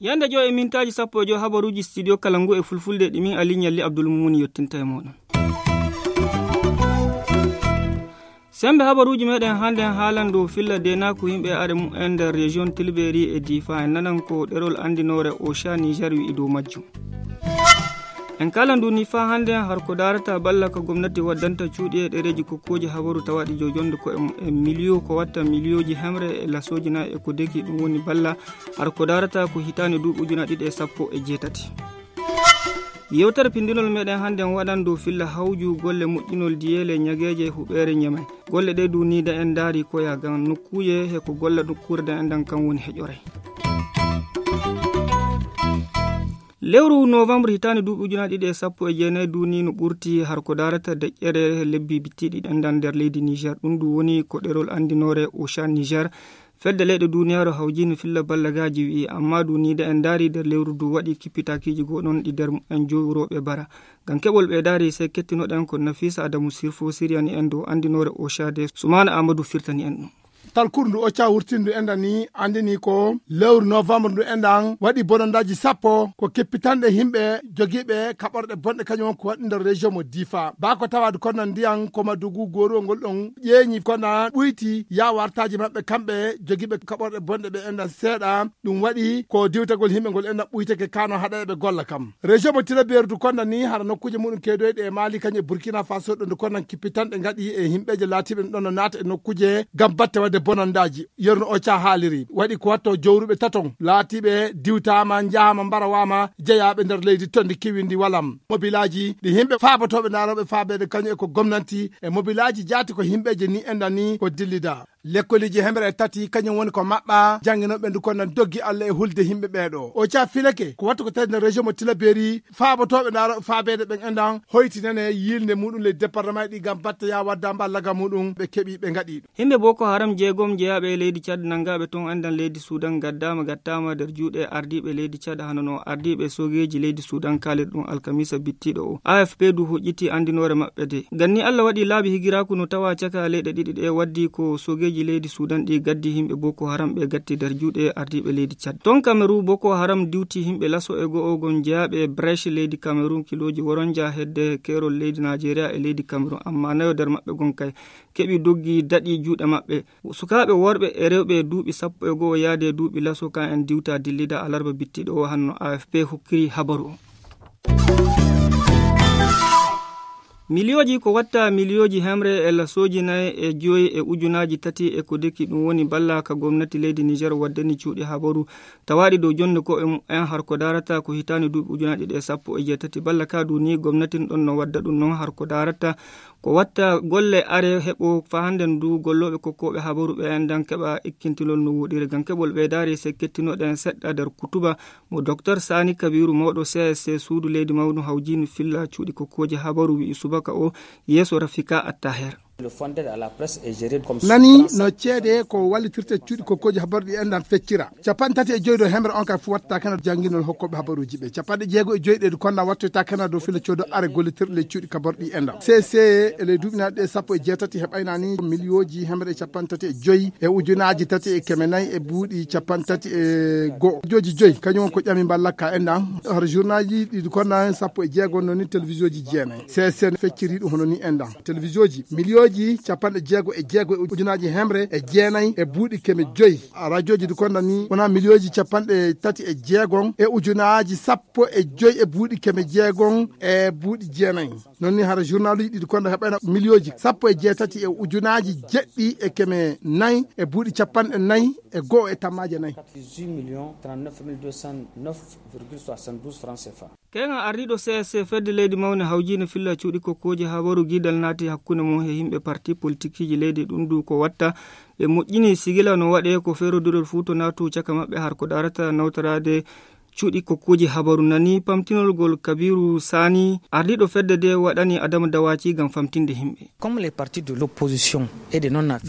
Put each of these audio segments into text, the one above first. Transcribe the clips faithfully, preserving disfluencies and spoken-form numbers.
Yande joy e mintaaji sappo e joy habaruuji studio kala ngu e fulfulde ɗi min Ali Ñalli Abdul Mumuni yottinta e mooɗon. Sembe habaruuji meɗen hannde en haalan dow filla deenaaku yimɓe are mumen nder région Tilberi e Difa. En nanan ko ɗerol anndinoore Osha Niger wi'i dow majjum. En kala ndu ni faa hannde har ko daarata balla ka gomnati waddanta cuuɗi e ɗereeji kokkooji habaru tawaaɗi jojonde ko e, e miliyo ko watta miliyooji hemre e lasooji nayi e ko deki ɗum woni balla har ko daarata ko hitaande duuɓi ujuna ɗiɗi e sappo e jeetati. Yewtere pindinol meɗen hannde en waɗan dow filla hawju golle moƴƴinol diyeele ñageeje huɓeere ñamay. Golle ɗe duuniida en ndaari koya ngam nokkuuje he ko golla nokkuure da en ɗan kan woni heƴore. Lewru novembre hitaande duuɓi ujunaaji ɗiɗi e sappo e jeenayi duuni no ɓurti har ko daarata deƴƴere lebbi bittiɗi ɗendan nder leydi Niger. Ɗum ɗum woni ko ɗerol anndinoore Ocean Niger. Fedde leyɗe duniyaaru hawjino filla ballagaaji wi'i, amma duuniida en ndaari nder lewru du waɗi kippitaakiiji goo ɗon ɗi nder en jowrooɓe bara. Ngam keɓol ɓe daari, sey kettinoɗen ko Nafisa Adamu Sirfo siriyani en dow anndinoore Oshade, Sumaana Amadou firtani en ɗum. Talkuru ndu Ocha wurtindu enɗan ni anndini ko lewru novembre ndu enɗan waɗi bonondaaji sappo ko keppitanɗe yimɓe jogiiɓe kaɓorɗe bonɗe kañum won ko waɗi nder région mo Difa. Baa ko tawaade kono ndiyan ko Madugu gooruwol ngol ɗon ƴeeñi kono ɓuyti yaawartaaji maɓɓe kamɓe jogiiɓe kaɓorɗe bonɗe ɓe enɗan seeɗa. Ɗum waɗi ko diwtagol yimɓe ngol enɗan ɓuytake kano haɗa eɓe golla kam. Région mo Tilaberi du konɗan ni hara nokkuuje muɗum keedoyɗe e Mali kañum e Burkina Faso ɗo ndu konɗan kippitanɗe ngaɗi e yimɓeeje laatiiɓe ɗon no naata e nokkuuje ngam batte waɗde bonandaaji. Yerno Ocha haaliri waɗi ko watto jowruɓe taton laatiiɓe diwtaama, njahaama, mbarawaama jeyaaɓe nder leydi tondi kiwindi walam. Mobilaaji ɗi yimɓe faabotooɓe ndaarooɓe faabeede kañum e ko gomnanti e mobilaaji jaati ko yimɓeeje ni enɗan ni ko dillida. Lekkoliji hemre e tati kañum woni ko maɓɓa, jannginooɓe ndu ko nan doggi Allah e hulde yimɓe ɓeeɗo. O caa filake ko wattu ko tawi nder région mo Tilaberi, faabotooɓe ndaarooɓe faabeede ɓen enɗan, hoytinane yiilnde muɗum ley département ɗi ngam batte yaa wadda mballaga muɗum ɓe keɓi ɓe ngaɗi ɗum. Yimɓe Boko Haram jeegom jeyaaɓe e leydi Tchad nanngaaɓe toon enɗan leydi Sudan ngaddaama gattaama nder juuɗe ardiiɓe leydi Tchad hano no ardiiɓe sogeeji leydi Sudan kaaliri ɗum alkamisa bittiiɗo o. A F P du hoƴƴiti anndinoore maɓɓe de. Ganni Allah waɗi laabi higiraaku no tawa caka leyɗe ɗiɗi ɗe waddi ko sogeeji leydi Sudan ɗi gaddi yimɓe Boko Haram ɓe gatti nder juuɗe ardiiɓe leydi Tchad. Toon Kamerun Boko Haram diwti yimɓe laso e go'o gon jeyaaɓe Brèche leydi Kamerun kilooji woronja hedde keerol leydi Najeriya e leydi Kamerun amma nayo nder maɓɓe gon kay keɓi doggi daɗi juuɗe maɓɓe. Sukaaɓe worɓe e rewɓe duuɓi sappo e go'o yaade duuɓi laso kan en diwta dillida alarba bittiiɗo o hanno A F P hokkiri habaru o. Miliyooji ko watta miliyooji hemre e lasooji nayi e joyi e ujunaaji tati e ko deki ɗum woni balla ka gomnati leydi Niger waddani cuuɗi habaru tawaaɗi dow jonde ko e mumen har ko daarata ko hitaande duuɓi ujunaaji ɗiɗi e sappo e jeetati balla ka du ni gomnati ɗon no wadda ɗum non har ko daarata ko watta golle are heɓo fa hannden du gollooɓe kokkooɓe habaru ɓe enɗan keɓa ikkintilol no woɗiri ngam keɓol ɓe daari se kettinoɗen seɗɗa nder kutuba mo Doktor Sani Kabiru mawɗo C S C suudu leydi mawnu hawjini filla cuuɗi kokkooji habaru wi'i subaka o yeeso Rafika Attaher. Nani no ceede ko wallitirte cuuɗi kokkooji habaru ɗi enɗan feccira. Capanɗe tati e joyi dow hemre on kay fu watta kena jannginol hokkooɓe habaruuji ɓe. Capanɗe jeego e joyi ɗe du konɗan wattoyta kena dow fila coodo are gollitirɗe ley cuuɗi kabarɗi enɗan. C C e ley duuɓi naɗi ɗe sappo e jeetati heɓayna ni miliyooji hemre e capanɗe tati e joyi e ujunaaji tati e keme nayi e buuɗi capanɗe tati e go'o. Jooji joyi kañum won ko ƴami mballakka enɗan. Har journalji ɗi du konɗan sappo e jeego non ni télévisionji jeenayi. C S C fecciri ɗum hono ni enɗan. Télévisionji miliyooji capanɗe jeego e jeego e ujunaaji hemre e jeenayi e buuɗi keme joyi. Radioji du konɗan ni wona miliyooji capanɗe tati e jeegon e ujunaaji sappo e joyi e buuɗi keme jeegon e buuɗi jeenayi. Non ni hara journaluji ɗi du konɗan heɓayna miliyooji sappo e jeetati e ujunaaji jeɗɗi e keme nayi e buuɗi capanɗe nayi e go'o e tammaaje nayi. Keeŋa ardiiɗo C S C fedde leydi mawne hawjiinde filla cuuɗi kokkooji habaru giidal naati hakkunde mum he yimɓe parti politikiiji leydi ɗum du ko watta ɓe moƴƴini sigila no waɗe ko feerodirol fuu to naatu caka maɓɓe har ko daarata nawtoraade Cuuɗi kokkuuji habaru nani pamtinol ngol Kabiru Sani, ardiiɗo fedde nde waɗani Adama Dawaci ngam famtinde yimɓe.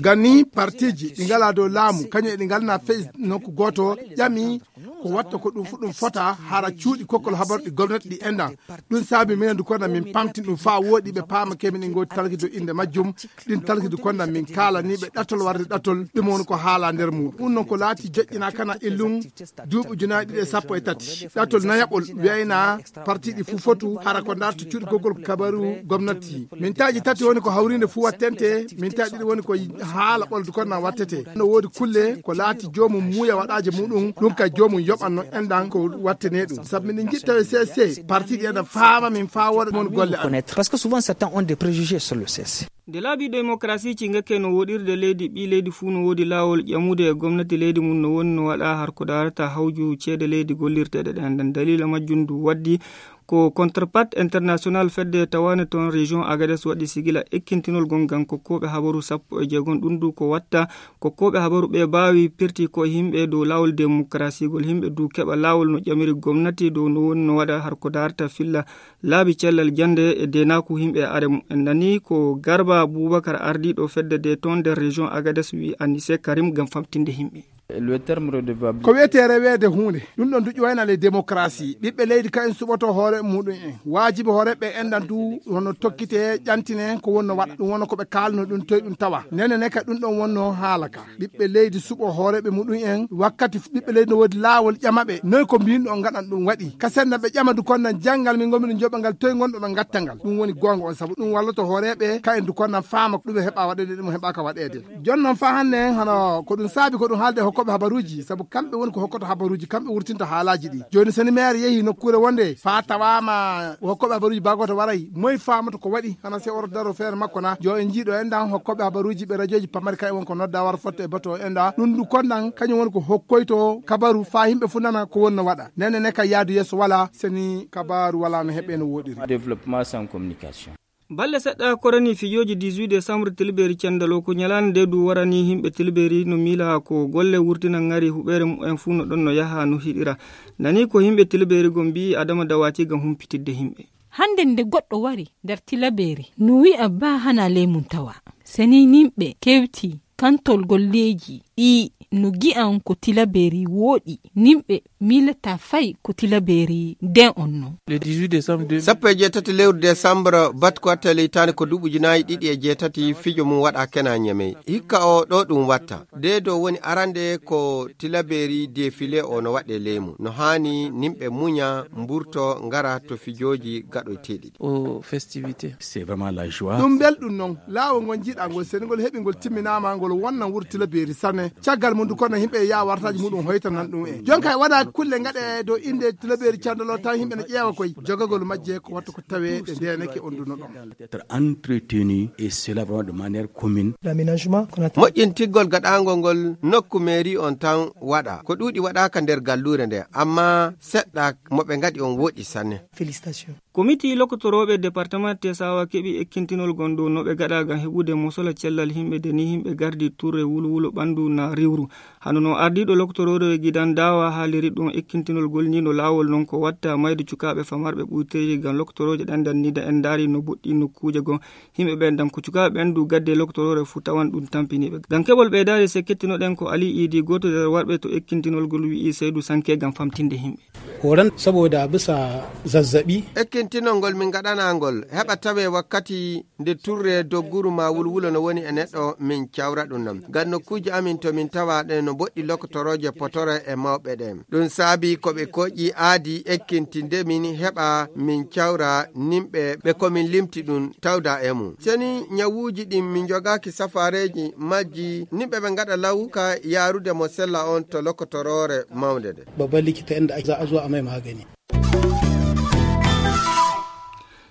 Ganni partiiji ɗi ngalaa dow laamu, kañum e ɗi ngalnaa fey nokku gooto, ƴami ko watta ko ɗum fu ɗum fota hara cuuɗi kokkol habaru ɗi gomnati ɗi enɗan. Ɗum saabi minen du kono min pamtin ɗum faa wooɗi ɓe paama ke min e ngooti talki dow innde majjum. Ɗin talki du kono min kaalani ɓe ɗatol warde ɗatol ɗum woni ko haala nder mum. Ɗum noon ko laati joƴƴinaa kana illum duuɓi ujunaaji ɗiɗi e sappo e tati. Ɗatol nayaɓol wiyayna parti ɗi fuu fotu hara ko ndarta cuuɗi kokkol kabaru gomnati. Min taaji tati woni ko hawriinde fuu wattente, min taaji ɗiɗi woni ko haala ɓoldu kon na wattete. No woodi kulle ko laati joomum muuya waɗaaje muɗum, ɗum ka joomum yoɓan no enɗan ko wattene ɗum. Sabu min njiɗta e C S C, parti ɗi ena faama min faa wooda mon golle amen. Parce que souvent certains ont des préjugés sur le C S C. Nde laabi démocratie ci ngakke no woɗirde leydi, ɓii leydi fuu no woodi laawol ƴamude e gomnati leydi mum no woni no waɗa har ko daarata hawju ceede leydi gollirteeɗe ɗen. Nden daliila majjum ndu waddi ko Counterpart International fedde tawaane toon région Agadez waɗi sigila ekkintinol gon ngam kokkooɓe habaru sappo e jeegom. Ɗum du ko watta kokkooɓe habaru ɓe baawi pirti ko yimɓe dow laawol démocratie gol, yimɓe du keɓa laawol no ƴamiri gomnati dow no woni no waɗa har ko daarata filla laabi cellal jannde e deenaaku yimɓe e are mum. En nani ko Garba Boubacar, ardiiɗo fedde de toon nder région Agadez, wi Anise Karim ngam famtinde yimɓe. Ko wiyetee reweede huunde, ɗum ɗon du ƴuwayna le démocratie. Ɓiɓɓe leydi ka en suɓoto hoore muɗum en. Waajibi hooreeɓe enɗan du hono tokkite ƴantine ko wonno waɗa. Ɗum wonno ko ɓe kaalno ɗum toye ɗum tawa. Nene ne ka ɗum ɗon wonno haala ka. Ɓiɓɓe leydi suɓo hooreeɓe muɗum en. Wakkati ɓiɓɓe leydi no woodi laawol ƴama ɓe. Noy ko mbinɗo on ngaɗan ɗum waɗi. Ka senna ɓe ƴama du kon nan janngal min ngonmi ɗum joɓa ngal toye ngonɗo ɗon ngatta ngal. Ɗum woni goonga on sabu ɗum walloto hooreeɓe ka en du kon nan faama ko ɗum heɓa waɗeede ɗum heɓaaka waɗeede. Jooni noon faa hannde en hono ko ɗum saabi ko ɗum haalde e hokkooɓe habaruuji, sabu kamɓe woni ko hokkoto habaruuji, kamɓe wurtinta haalaaji ɗi. Jooni so ni maire yehii nokkuure wonde faa tawaama hokkooɓe habaruuji baa gooto waray, moy faamata ko waɗi hana se oto daro feere makko na? Yo en njiiɗo en ɗan hokkooɓe habaruuji ɓe rajooji pamari kay won ko nodda wara fotta e bato en ɗa. Ɗum ɗum kon ɗan kañum woni ko hokkoyto kabaru faa yimɓe fof nana ko wonno waɗa. Nene ne kay yaadu yeeso wala, so ni kabaru wala no heɓe no woɗiri. Développement sans communication. Balɗe seɗɗa korani fijooji dix-huit décembre tilbeeri cendal o, ko ñalaande nde du warani yimɓe tilbeeri no miila ko golle wurtina ngari huɓeere mumen fuu no ɗon no yaha no hiɗira. Nani ko yimɓe tilbeeri go mbi'i Adama Dawati ngam humpitidde yimɓe. Hannde nde goɗɗo wari nder tilbeeri no wi'a ba hana ley mum tawa. Seni yimɓe kewti kantol golleeji ɗi no gi'an ko tilbeeri wooɗi, yimɓe miilata fay ko tilbeeri nden on non. Le dix-huit décembre deux mille. Sappo e jeetati lewru décembre, bat ko watta leytaani ko duuɓi ujunaaji ɗiɗi e jeetati, fijo mum waɗa kena Ñamey. Hikka o ɗo ɗum watta. Deedo woni arande ko tilbeeri défilé o no waɗe leymu. No haani yimɓe muña, mburto, ngara to fijooji gaɗoyteeɗi. Aux festivités. C'est vraiment la joie. Ɗum belɗum non. Laawol ngol njiɗa ngol, seni ngol heɓi ngol timminaama, ngol wonnan wuro tilbeeri sanne. Caggal mum du kono yimɓe e yaa wartaaji muɗum hoytanan ɗum en. Jon kay waɗa kulle ngaɗe dow innde tilbeeri candolo tan yimɓe no ƴeewa koy. Jogagol majje ko wattu ko tawee ɗe ndeenake on du no ɗon. Être entretenu et cela vraiment de manière commune. L'aménagement qu'on a. Moƴƴintiggol gaɗaangol ngol nokku mairie on tan waɗa. Ko ɗuuɗi waɗaaka nder galluure nde, amma seɗɗa mo ɓe ngaɗi on woɗi sanne. Félicitations. Komiti lokotorooɓe departement Tesawa keɓi ekkintinol gon dow no ɓe gaɗa ngam heɓude mosola cellal yimɓe de ni yimɓe gardi turre wulwulo ɓandu na riwru. Hano no ardiiɗo lokotorooɓe gidan dawa haaliri ɗum ekkintinol gol ni no laawol non ko watta mayde cukaaɓe famarɓe ɓuyteeji ngam lokotorooje ɗan dan ni da en ndaari no boɗɗi nokkuuje gon. Yimɓe ɓen dan ko cukaaɓe ɓen du gadde lokotorooɓe fu tawan ɗum tampiniiɓe. Ngam keɓol ɓeydaade se kettinoɗen ko Ali Idi gooto nder warɓe to ekkintinol gol wi'i Seydu Sanke ngam famtinde yimɓe. Horan saboda bisa zazzaɓi. Ekkintinol ngol min ngaɗanaa ngol heɓa tawee wakkati nde turre dogguru ma wulwulo no woni e neɗɗo min cawra ɗum non. Ngam nokkuuji amin to min tawa ɗen no boɗɗi lokotorooje potore e mawɓe ɗen. Ɗum saabi ko ɓe koƴi aadi ekkintinde min heɓa min cawra nimɓe ɓe ko min limti ɗum tawda e mum. Seni ñawuuji ɗin min jogaaki safaareeji majji nimɓe ɓe ngaɗa law ka yaarude mo sella on to lokotoroore mawnde nde. Babban likita inda ake za a zo a mai magani.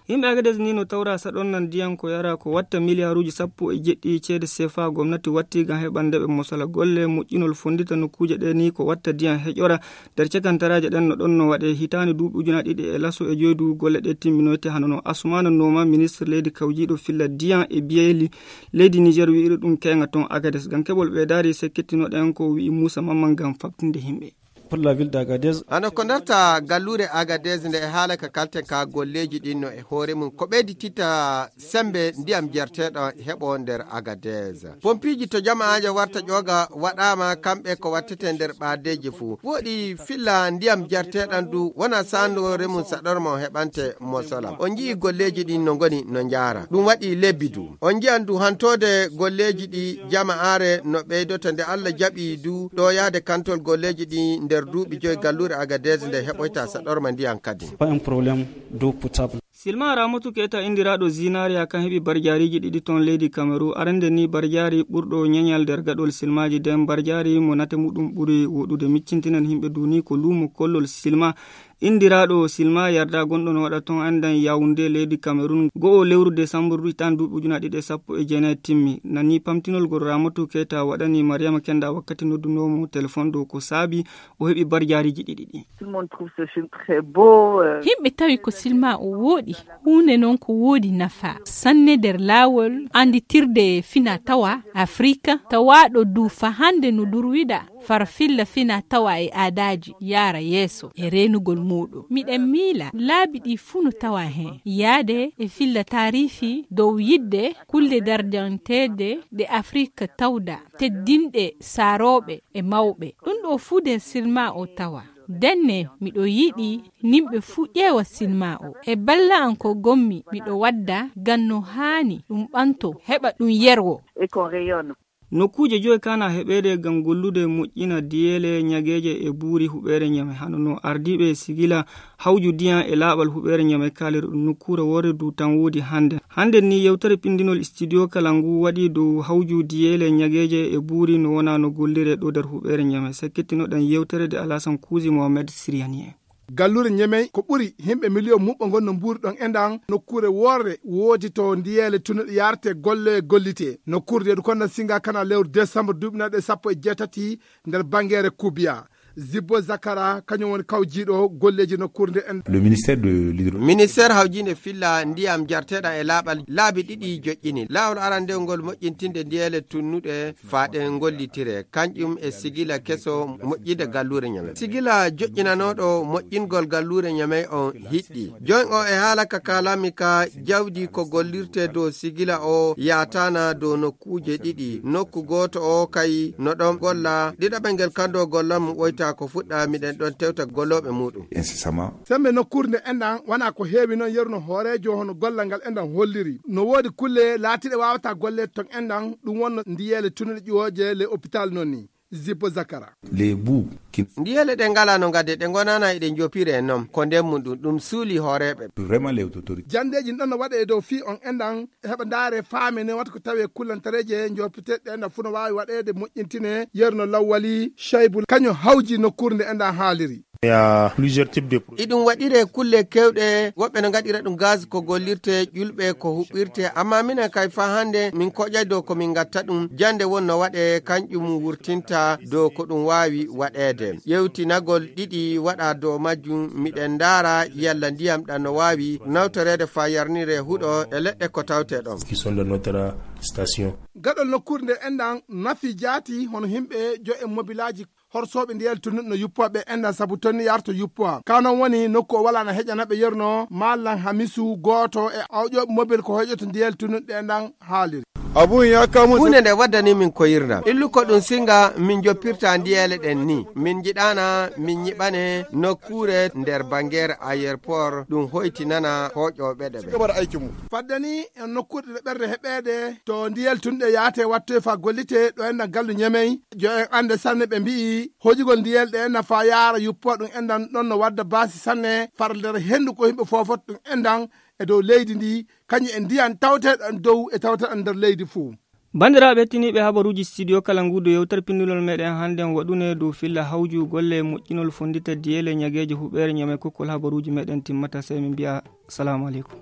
Yimɓe Agades ni no tawra saɗon nan ndiyan ko yara ko watta miliyaaruuji sappo e jeɗɗi ceede sefa gomnati watti ngam heɓande ɓe mosala golle moƴƴinol fonndita nokkuuje ɗe ni ko watta ndiyan heƴora nder cakantaraaje ɗen no ɗon no waɗe hitaande duuɓi ujunaaji ɗiɗi e laso e joyi du golle ɗe timminoyte hano no Asumana Noma ministre leydi kawjiiɗo filla ndiyan e biyeyli leydi Niger wi'iri ɗum keeŋa ton Agades ngam keɓol ɓeydaari se kettinoɗen ko wi'i Muusa Mamman ngam faɓtinde yimɓe. Pour la ville d'Agadez. Hano ko darta galluure Agadez nde e haala ka kalten ka golleeji ɗin no e hoore mum. Ko ɓeydititta sembe ndiyam jerteeɗo heɓo nder Agadez. Pompiiji to jama'aaje warta ƴooga waɗaama kamɓe ko wattete nder ɓaadeeji fuu. Woɗi filla ndiyam jerteeɗan du wona saandoore mum saɗorma o heɓante mosolam. On nji'i golleeji ɗin no ngoni no njaara. Ɗum waɗi lebbi du. On nji'an du hantoode golleeji ɗi jama'aare no ɓeydoto nde Allah jaɓi du ɗo yahde kantol golleeji ɗi nder duuɓi joyi galluure Agadez nde heɓoyta saɗorma ndiyam kadi. Pas un problème d'eau potable. Silma Ramotu Keita indiraaɗo Zinaria kan heɓi barjaariiji ɗiɗi ton leydi Kamerun. Arande ni barjaari ɓurɗo ñeñal nder gaɗol silmaaji den barjaari mo nate muɗum ɓuri woɗude. Miccintinan himɓe duni ko luumo kollol silma. Indiraaɗo silma yarda gonɗo no waɗa ton andan Yaoundé leydi Kamerun. Go'o lewru desambur ɗiɗi tan duuɓi ujuna ɗiɗi e sappo e jeenayi timmi. Nani pamtinol gol Ramotu Keita waɗani Mariama Kenda wakkati noddunoomo telefon ɗo ko saabi o heɓi barjaariiji ɗiɗi ɗi. Tout le monde trouve ce film très beau, euh. Himɓe tawi ko silma o wooɗi. Huunde noon ko woodi nafa sanne nder laawol annditirde fina tawa Afrika, tawaaɗo du fahande no durwida farfilla fina tawa e aadaaji yaara yeeso e reenugol muuɗum. Miɗen miila laabi ɗi fuu no tawa heen, yaade e filla taariifi dow yiɗde kulle darjanteeɗe ɗe Afrika tawda, teddinɗe saarooɓe e mawɓe. Ɗum ɗo fuu nder silma o tawa. Denne, miɗo yiɗi nimɓe fuu ƴeewa silma o. E balla an ko gommi, miɗo wadda ngam no haani ɗum ɓanto, heɓa ɗum yerwo. Et qu'on rayonne. Nokkuuje joy kana heɓeede ngam gollude moƴƴina diyeele ñageeje e buuri huɓeere ñame, hano no ardiiɓe sigila hawju diyan e laaɓal huɓeere ñame kaaliri ɗum. Nokkuure woore du tan woodi hannde. Hannde ni yewtere pindinol studio kala ngu waɗi dow hawju diyeele ñageeje e buuri no wona no gollire ɗo nder huɓeere ñame. Sakkitinoɗen yewtere de Alasan Kuuzi Mohamed Siriyani en. Galluure Ñemey ko ɓuri himɓe miliyon muɓɓo ngon no mbuuri ɗon e ndan nokkuure worre woodi to ndiyeele tunuɗe yarte golle gollite. Nokkuure nde du konna singa kana lewru décembre duuɓi nayi ɗe sappo e jeetati nder bangere Kubiya. Zibbo Zakara kañum woni kawjiiɗo golleeji nokkuure nde en. Le ministère de l'hydro- Ministère hawjiinde filla ndiyam jarteeɗam e laaɓal laabi ɗiɗi joƴƴini. Laawol arandewol ngol moƴƴintinde ndiyeele tunnuɗe faaɗe ngollitire, kanƴum e sigila keso moƴƴinde galluure Ñamey. Sigila joƴƴinanooɗo moƴƴingol galluure Ñamey on hiɗɗi. Joñ o e haala ka kaalami ka jawdi ko gollirte dow sigila o yaataana dow nokkuuje ɗiɗi. Nokku gooto o kay no ɗon golla, ɗiɗaɓel ngel kando golla mum ɓoyta ko fuɗɗa miɗen ɗon tewta gollooɓe muuɗum. Incessamment. Sembe nokkuure nde enɗan wana ko heewi noon yeru no hooreejo hono gollal ngal enɗan holliri. No woodi kulle laatiiɗe waawata golleede ton enɗan, ɗum wonno ndiyeele tunuɗe ƴuwooje le hôpital noon ni. Zippo Zakara. Les bouts qui- Ndiyeele ɗe ngala no ngadde, ɗe ngonana eɗe njopire noon. Ko nden mum ɗum, ɗum suuli hooreeɓe. Vraiment les autorités. Jandeeji ɗon no waɗe e dow fii on enɗan heɓa ndaare faame ne wata ko tawi e kullantareeje njopiteɗe enɗan fuu no waawi waɗeede moƴƴintine yeru no lawwali Shaybu kañum hawji nokkuure nde enɗan haaliri. Il y a plusieurs types de produits. Iɗum waɗire kulle kewɗe, woɓɓe no ngaɗira ɗum gaz ko gollirte, ƴulɓe ko huɓɓirte, amma minen kay faa hannde min koƴay dow ko min ngatta ɗum, jannde won no waɗe, kanƴum wurtinta dow ko ɗum waawi waɗeede. Ƴeewtinagol ɗiɗi waɗa dow majjum, miɗen ndaara yalla ndiyam ɗam no waawi nawtoreede faa yarnire huɗo e leɗɗe ko tawte ɗon. Qui sont de notre station. Gaɗol nokkuure nde enɗan nafi jaati hono himɓe jo e mobilaaji horsooɓe ndiyel tunnuɗo no yuppowa ɓe enɗan sabu tonni yarto yuppowa. Ka non woni nokku o wala na heƴana ɓe yerno mallan hamisu gooto e awƴooɓe mobil ko hoyƴoto ndiyel tunnuɗo ɗe enɗan haaliri. Abun ya kamu. Huunde nde waddani min ko yirnam. Illu ko ɗum singa min joppirta ndiyeele ɗen ni. Min njiɗaana min nyiɓane nokkuure nder bangere aéroport ɗum hoytinana hoƴooɓe ɗe ɓe. Fadde ni en nokkuure ɗe ɓerde heɓeede to ndiyel tunɗe yaate wattoy fa gollite ɗo enɗan gallu Ñemey. Jo en annde sanne ɓe mbi'i hojugol ndiyel ɗe enɗan fa yaara yuppo ɗum enɗan ɗon no wadda baasi sanne far nder henndu ko yimɓe fofot ɗum enɗan e dow leydi ndi kañum e ndiyan tawteɗan dow e tawteɗan nder leydi fuu. Banndiraaɓe hettiniiɓe habaruuji studio kala nguudo yewtere pindunol meɗen hannden waɗune dow filla hawju golle moƴƴinol fonndita diyeele ñageeje huɓeere Ñamey kokkol habaruuji meɗen timmata sey min mbiya salaamu aleykum.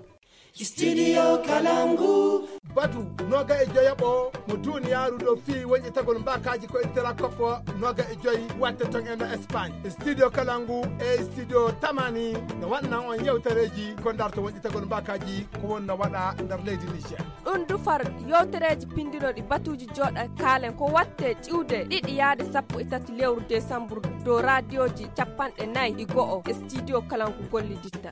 Studio Kalangu. Batu noga e joyaɓo mo duniyaaru ɗo fii wonƴetagol mbaakaaji ko e tera koppo noga e joyi watte ton en no Espagne. Studio Kalangu e studio Tamani no waɗnan on yewtereeji ko ndarto wonƴetagol mbaakaaji ko won no waɗa nder leydi Niger. Ɗum dufar yewtereeji pinndinooɗi batuuji jooɗa kaalen ko watte ƴiwde ɗiɗi yaade sappo e tati lewru desambur dow raadiyooji capanɗe nayi e go'o e studio Kalangu golliditta.